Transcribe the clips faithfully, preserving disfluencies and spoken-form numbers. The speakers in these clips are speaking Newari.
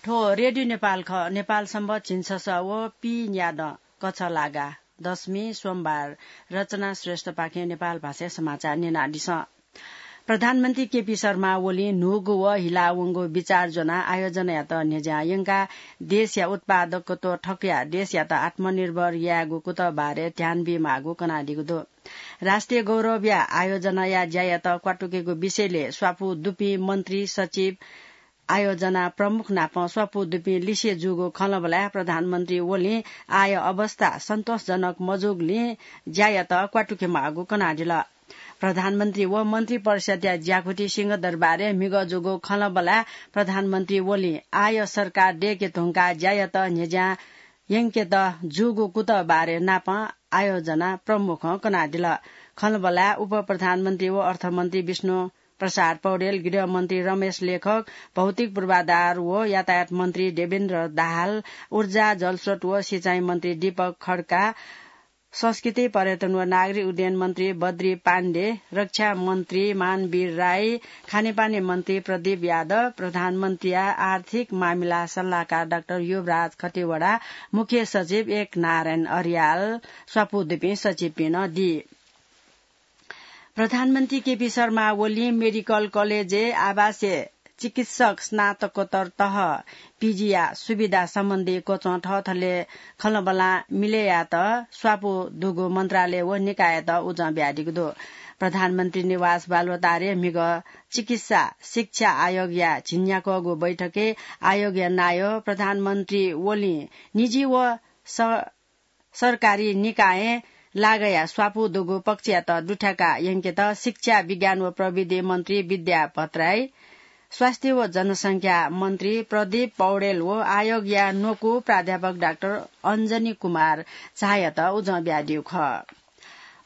थ्व रेडियो नेपाल खः। नेपाल सम्बत झिंछसः व पीन्यादँ कछलागा दशमी सोमबार। रचना श्रेष्ठपाखें नेपाल भाषाय् समाचार न्यनादिसँ। प्रधानमन्त्री केपी शर्मा ओलीं न्हूगु व हिलावंगु विचार ज्वनाः आयोजनायात न्ह्यज्यां यंकाः देशया उत्पादकत्व थकयाः देशयात आत्मनिर्भर यायेगु कुतः बारे ध्यान बीमाःगु कनादीगु दु। राष्ट्रिय गौरवया आयोजनाया ज्यायात क्वातुकेगु विषयलय् स्वापू दुपिं मन्त्री सचिव आयोजना प्रमुख नाप स्वापू दुपिं लिसे जूगु खँल्हाबल्हाय् प्रधानमन्त्री ओलीं आय अवस्था सन्तोषजनक मजूगुलिं ज्यायात क्वातुकेमाःगु कनादिल। प्रधानमन्त्री व मन्त्री परिषद्या ज्याकुथि सिंहदरबारय् म्हिगः जूगु खँल्हाबल्हाय् प्रधानमन्त्री ओलीं आय सरकार दय्के धुंकाः ज्यायात न्ह्यज्यां यंकेत जूगु कुतः बारे नापं आयोजना प्रमुखं कनादिल। खँल्हाबल्हाय् उपप्रधानमन्त्री व अर्थमन्त्री विष्णु प्रसाद पौडेल, गृहमन्त्री रमेश लेखक, भौतिक पूर्वाधार व यातायात मन्त्री देवेन्द्र दाहाल, ऊर्जा, जलस्रोत व सिँचाइ मन्त्री दीपक खड्का, संस्कृति, पर्यटन व नागरिक उड्डयन मन्त्री बद्री पाण्डे, रक्षा मन्त्री मानवीर राई, खानेपानी मन्त्री प्रदीप यादव, प्रधानमन्त्रीया आर्थिक मामिला सल्लाहकार डाक्टर युवराज खतिवडा, मुख्य सचिव एक नारायण अर्याल, स्वापू दुपिं सचिवपिं नं दी। प्रधानमन्त्री केपी शर्मा ओलीं मेडिकल कलेजय् आवासीय चिकित्सक स्नातकोत्तर तह, पीजीया सुविधा सम्बन्धी क्वचं थःथलय् खँल्हाबल्हां मिलय् यायेत स्वापू दुगु मन्त्रालय व निकाययात उजं बियादीगु दु। प्रधानमन्त्री निवास बालुवाटारय् म्हिगः चिकित्सा शिक्षा आयोगया झिंन्याक्वःगु बैठकय् आयोगया नायः प्रधानमन्त्री ओलीं निजी व स-, सरकारी निकायं लागःया स्वापू दुगु पक्षयात दुथ्याका यंकेत शिक्षा, विज्ञान व प्रविधि मन्त्री विद्या भट्टराई, स्वास्थ्य व जनसंख्या मन्त्री प्रदीप पौडेल व आयोगया न्वकू प्राध्यापक डाक्टर अञ्जनी कुमार झायात उजं बियादीगु खः।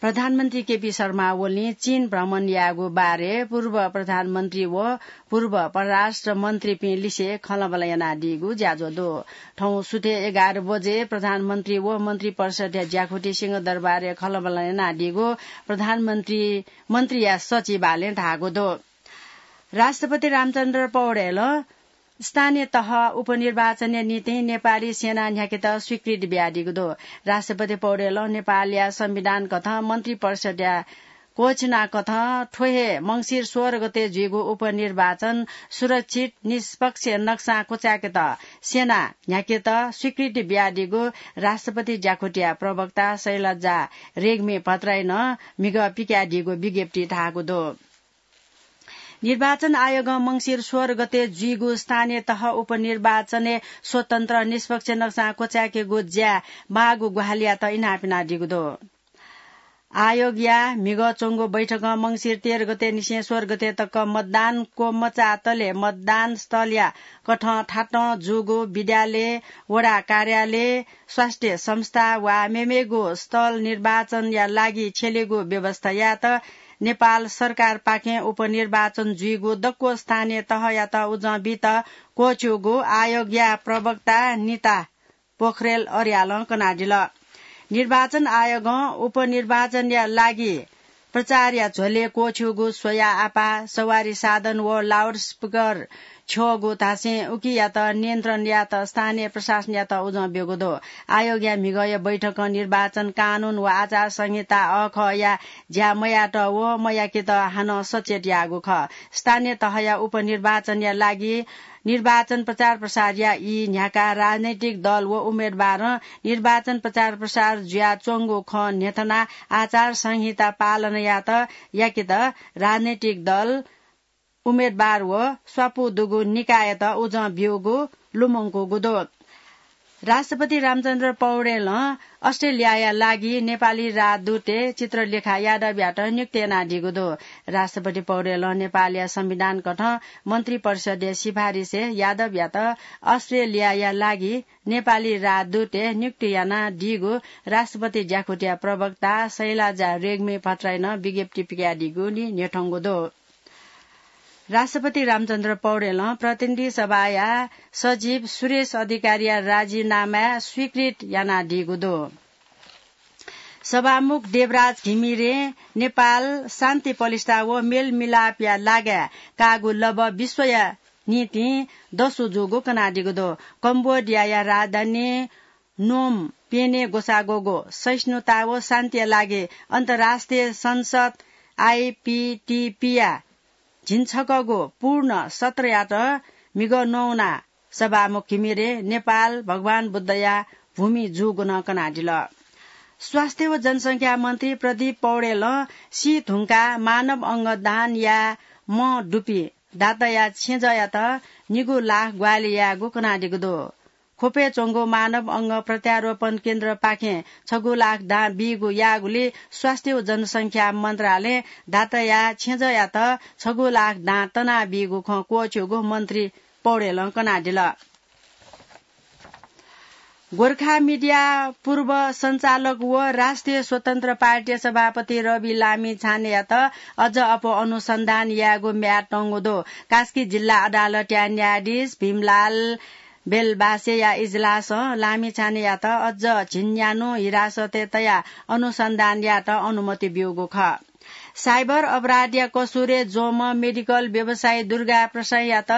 प्रधानमन्त्री केपी शर्मा ओलीं चीन भ्रमण यायेगु बारे पूर्व प्रधानमन्त्री व पूर्व परराष्ट्र मन्त्रीपिं लिसे खँल्हाबल्हा यानादीगु ज्याझ्वः दु। थौं सुथय् एघार बजे प्रधानमन्त्री व मन्त्री परिषद्या ज्याकुथि सिंहदरबारय् खँल्हाबल्हा यानादीगु प्रधानमन्त्री, मन्त्रीया सचिवालयं धाःगु दु। राष्ट्रपति रामचन्द्र पौडेलं स्थानीय तह उपनिर्वाचनया निंतिं नेपाली सेना न्ह्याकेत स्वीकृति बियादीगु दु। राष्ट्रपति पौडेलं नेपालया संविधान कथं मन्त्री परिषद्या घोषणा कथं थ्व हे मंसिर सोह्र गते जुइगु उपनिर्वाचन सुरक्षित, निष्पक्ष नक्सां क्वचाय्केत सेना न्ह्याकेत स्वीकृति बियादीगु राष्ट्रपति ज्याकुथिया प्रवक्ता शैलजा रेग्मी भट्टराईं म्हिगः पिकादीगु विज्ञप्ति धाःगु दु। निर्वाचन आयोगं मंसिर सोह्र गते जुइगु स्थानीय तह उपनिर्वाचनय् स्वतन्त्र, निष्पक्ष नक्सां क्वचाय्केगु ज्या माःगु ग्वाहालियात इनाप यानादीगु दु। आयोगया म्हिगः च्वंगु बैठकं मंसिर तेह्र गते निसें सोह्र गते तक मतदान क्वमचातले मतदान स्थलया कथं थातं जूगु विद्यालय, वडा कार्यालय, स्वास्थ्य संस्था वा मेमेगु स्थल निर्वाचनया लागि छ्यलेगु व्यवस्था यायेत नेपाल सरकारपाखें उपनिर्वाचन जुइगु दक्व स्थानीय तहयात उजं बीत क्वःछ्यूगु आयोगया प्रवक्ता निता पोखरेल अर्यालं कनादिल। निर्वाचन आयोगं उपनिर्वाचनया लागि प्रचारया झ्वलय् क्वःछ्यूगु स्वया आपाः, सवारी साधन व लाउडस्पिकर छ्यःगु धासें उकियात नियन्त्रण यायेत स्थानीय प्रशासनयात उजं ब्यूगु दु। आयोगया म्हिगःया बैठकं निर्वाचन कानून व आचार संहिता अःखःया ज्या मयायेत व मयाकेत हानं सचेत याःगु खः। स्थानीय तहया उपनिर्वाचनया लागि निर्वाचन प्रचार प्रसारया ई न्ह्याकाः राजनैतिक दल व उम्मेदवारं निर्वाचन प्रचार प्रसार जुयाच्वंगु खँ न्ह्यथनाः आचार संहिता पालना यायेत याकेत राजनैतिक दल, उम्मेदवार व स्वापू दुगु निकाययात उजं ब्यूगु लुमंकूगु दु। राष्ट्रपति रामचन्द्र पौडेलं अस्ट्रेलियाया लागि नेपाली राजदूतय् चित्रलेखा यादवयात नियुक्त यानादीगु दु। राष्ट्रपति पौडेलं नेपालया संविधान कथं मन्त्री परिषदया सिफारिसय् यादवयात अस्ट्रेलियाया लागि नेपाली राजदूतय् नियुक्त यानादीगु राष्ट्रपति ज्याकुथिया प्रवक्ता शैलजा रेग्मी भट्टराईं विज्ञप्ति पिकादीगु नि न्ह्यथंगु दु। राष्ट्रपति रामचन्द्र पौडेलं प्रतिनिधि सभाया सचिव सुरेश अधिकारीया राजीनामाय् स्वीकृत यानादीगु दु। सभामुख देवराज घिमिरें नेपाल शान्ति पलिस्था व मेलमिलापया लागाय् काःगु लँप विश्वया निंतिं दसु जूगु कनादीगु दु। कम्बोडियाया राजधानी नोम प्यने ग्वसाः ग्वःगु सहिष्णुता व शान्तिया लागि अन्तर्राष्ट्रिय संसद आइपिटिपिया झिंछकःगु पूर्ण सत्रयात म्हिगः नौ ना सभामुख घिमिरे नेपाल भगवान बुद्धया भूमि जूगु नं कनादिल। स्वास्थ्य व जनसंख्या मन्त्री प्रदीप पौडेलं सी धुंकाः मानव अंग दान याये मं दुपिं दाताया छेँजःयात निगू लाख ग्वाहालि यायेगु कनादीगु दु। ख्वपय् च्वंगु मानव अंग प्रत्यारोपण केन्द्रपाखें छगू लाख दां बीगु याःगुलिं स्वास्थ्य व जनसंख्या मन्त्रालयं दाताया छेँजःयात छगू लाख दां तनाबीगु खँ क्वःछ्यूगु मन्त्री पौडेलं कनादिल। गोर्खा मिडिया पूर्व सञ्चालक व राष्ट्रिय स्वतन्त्र पार्टी सभापति रवि लामिछानेयात अझ अप्वः अनुसन्धान यायेगु म्याद तंगु दु। कास्की जिल्ला अदालतया न्यायाधीश भीमलाल बेलबासेया इजलासं लामिछानेयात अझ झिंन्यान्हु हिरासतय् तयाः अनुसन्धान यायेत अनुमति ब्यूगु खः। साइबर अपराधया कसुरय् ज्वंम्ह मेडिकल व्यवसायी दुर्गा प्रसाईयात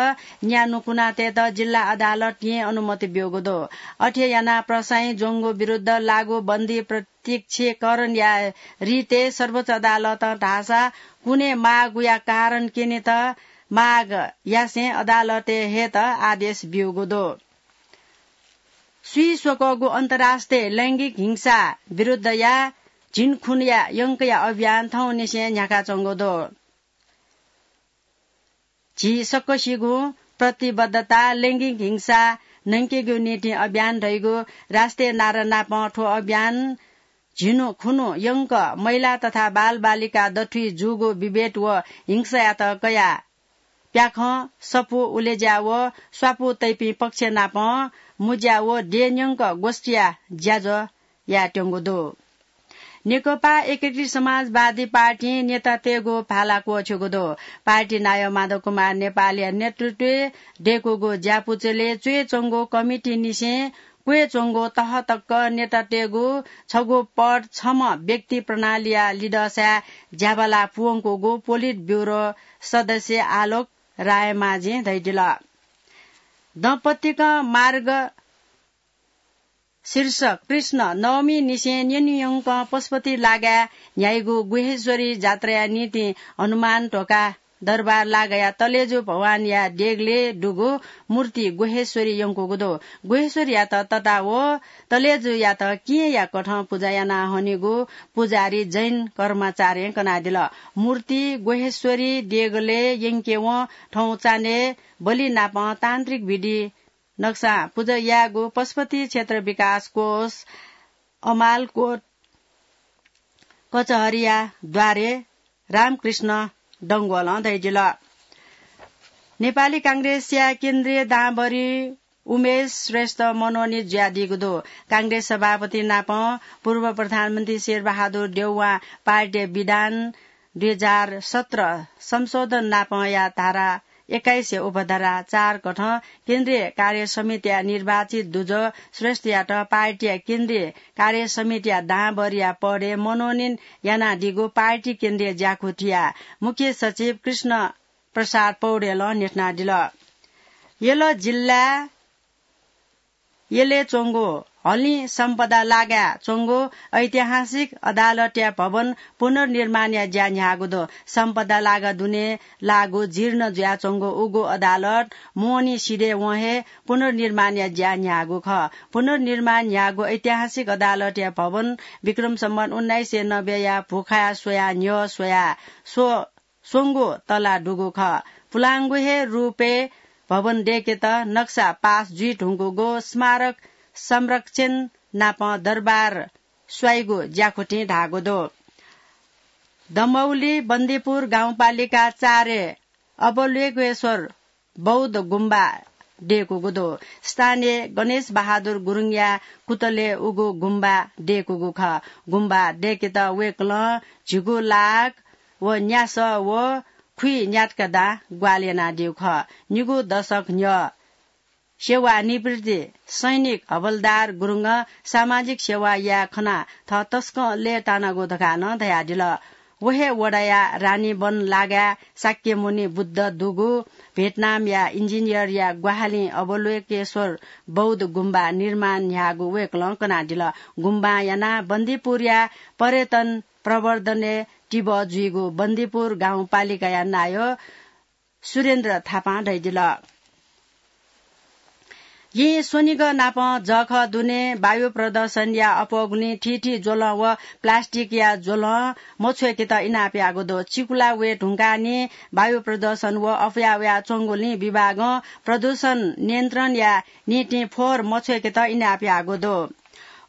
न्यान्हु कुना तयेत जिल्ला अदालतं अनुमति ब्यूगु दु। अथे यानाः प्रसाईं ज्वंगु विरुद्ध लागू बन्दी प्रत्यक्षीकरणया रितय् सर्वोच्च अदालतं धाःसा कुने मागुया कारण क्यनेत माग यासें अदालतय् हयेत आदेश ब्यूगु दु। स्वीस्वकःगु अन्तर्राष्ट्रिय लैंगिक हिंसा विरुद्धया झिंखुन्हुया यंकया अभियान थौंनिसें न्ह्याकाच्वंगु दु। झी सकसिगुं प्रतिबद्धता लैंगिक हिंसा न्हय्केगु निंतिं अभियान धइगु राष्ट्रिय नारा नापं थ्व अभियान झिन्हु खुन्हु यंक महिला तथा बालबालिका दथुइ जूगु विभेद व हिंसायात कयाः प्याखं, सफू, उलेज्या व स्वापू तइपिं पक्ष नाप मुज्या व देय् न्यंक गोष्ठीया ज्याझ्वः यायेत्यंगु दु। नेकपा एकीकृत समाजवादी पार्टीं नेतातय्गु भाला क्वःछ्यूगु दु। पार्टी नायः माधव कुमार नेपालया नेतृत्वय् दय्कूगु ज्यापुचलय् च्वय्च्वंगु कमिटीनिसें क्वय्च्वंगु तह तक नेतातय्गु छगू पद छम्ह व्यक्ति प्रणालीया लिधंसाय् ज्याबाला पूवंकूगु पोलिट ब्युरो सदस्य आलोक रायमाझीं धयादिल। दम्पतिक मार्ग शीर्षक कृष्ण नवमीनिसें न्यनेयंक पशुपति लागाय् न्ह्याइगु गुह्येश्वरी जात्राया निंतिं हनुमान ढोका दरबार लागाया तलेजु भवानया देगलय् दुगु मूर्ति गुह्येश्वरी यंकूगु दु। गुह्येश्वरीयात तता व तलेजुयात केहेँया कथं पुजा याना हनीगु पुजारी जैन कर्माचार्यं कनादिल। मूर्ति गुह्येश्वरी देगलय् यंकेवं थौं चान्हय् बलि नापं तान्त्रिक विधि नक्सां पुजा यायेगु पशुपति क्षेत्र विकास कोष अमालकोट कचहरीया द्वारे रामकृष्ण डंगोलं धयादिल। नेपाली कांग्रेसया केन्द्रीय दांभरि उमेश श्रेष्ठ मनोनित जुयादीगु दु। कांग्रेस सभापति नाप पूर्व प्रधानमन्त्री शेरबहादुर देउवां पार्टीया विधान दुई हजार सत्र संशोधन नापया धारा एक्काइस उपधारा चार कथं केन्द्रीय कार्य समितिया निर्वाचित दुजः श्रेष्ठयात पार्टीया केन्द्रीय कार्य समितिया दांभरिया पदय् मनोनयन यानादीगु पार्टी केन्द्रीय ज्याकुथिया मुख्य सचिव कृष्ण प्रसाद पौडेलं न्ह्यथनादिल। यल जिल्ला यलय् च्वंगु हलिं सम्पदा लागाय् च्वंगु ऐतिहासिक अदालतया भवन पुनर्निर्माणया ज्या न्ह्याःगु दु। सम्पदा लागा दुने लाःगु जीर्ण जुयाच्वंगु उगु अदालत मोहनी सिधय् वं हे पुनर्निर्माणया ज्या न्ह्याःगु खः। पुनर्निर्माण न्ह्याःगु ऐतिहासिक अदालतया भवन विक्रम सम्वत उन्नाइस सय नब्बेया भुखाया स्वया न्ह्यः स्वया स्व स्वंगु तला दुगु खः। पुलांगु हे रूपय् भवन दय्केत नक्सा पास जुइ धुंकूगु स्मारक संरक्षण नाप दरबार स्वाइगु ज्याकुथिं धाःगु दु। दमौली बन्दीपुर गाउँपालिका चारय् अवलोकेश्वर बौद्ध गुम्बा दय्कूगु दु। स्थानीय गणेश बहादुर गुरुङया कुतलय् उगु गुम्बा दय्कूगु खः। गुम्बा दय्केत वय्कलं झिगू लाख व न्यासः व खुइ न्यातका दां ग्वाहालि यानादीगु खः। निगू दशक न्ह्यः सेवानिवृत्ति सैनिक हवलदार गुरुङं सामाजिक सेवा याये खनाः थः तसकं लय्तानागु धकाः नं धयादिल। व हे वडाया रानीवन लागाय् शाक्यमुनि बुद्ध दुगु भियतनामया इन्जिनियरया ग्वाहालिं अवलोकेश्वर बौद्ध गुम्बा निर्माण न्ह्याःगु वय्कलं कनादिल। गुम्बां यानाः बन्दीपुरया पर्यटन प्रवर्धनय् तिबः जुइगु बन्दीपुर गाउँपालिकाया नायः सुरेन्द्र थापां धयादिल। येँ स्वनिगः नापं जःखः दुने वायु प्रदूषणया अप्वःगुलिं थीथी ज्वलं व प्लास्टिकया ज्वलं मछ्वय्केत इनाप याःगु दु। चिकुला वये धुंकाः निं वायु प्रदूषण व अप्वया वयाच्वंगुलिं विभागं प्रदूषण नियन्त्रणया निंतिं फोहोर मछ्वय्केत इनाप याःगु दु।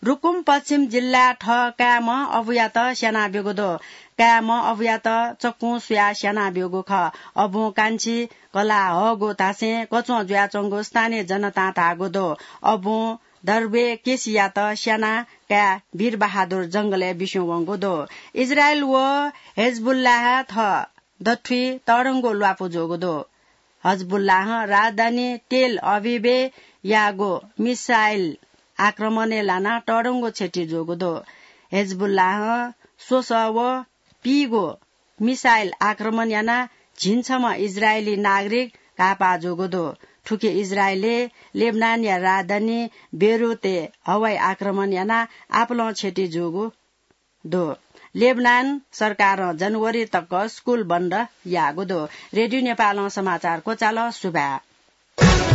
रुकुम पश्चिम जिल्लाय् थः काय्म्ह अबुयात स्यानाब्यूगु दु। काय्म्ह अबुयात चक्कुं सुयाः स्यानाब्यूगु खः। अबुं कान्छी कलाः हःगु धासें कच्वं जुयाच्वंगु स्थानीय जनतां धाःगु दु। अबुं दर्बे केसीयात स्यानाः काय् वीरबहादुर जंगलय् बिस्युं वंगु दु। इजरायल व हेजबुल्लाह थः दथुइ तःधंगु ल्वापु जूगु दु। हजबुल्लाहं राजधानी तेल अभिभय् याःगु मिसाइल आक्रमणय् लानाः तःधंगु क्षति जूगु दु। हेजबुल्लाहं स्वसः व पीगु मिसाइल आक्रमण यानाः झिंछम्ह इजरायली नागरिक घाःपाः जूगु दु। थुकी इजरायलय् लेबनानया राजधानी बेरुतय् हवाई आक्रमण यानाः आपालं क्षति जूगु दु। लेबनान सरकारं जनवरी तक स्कुल बन्द याःगु दु। रेडियो नेपालं समाचार क्वचाल। सुभाय्।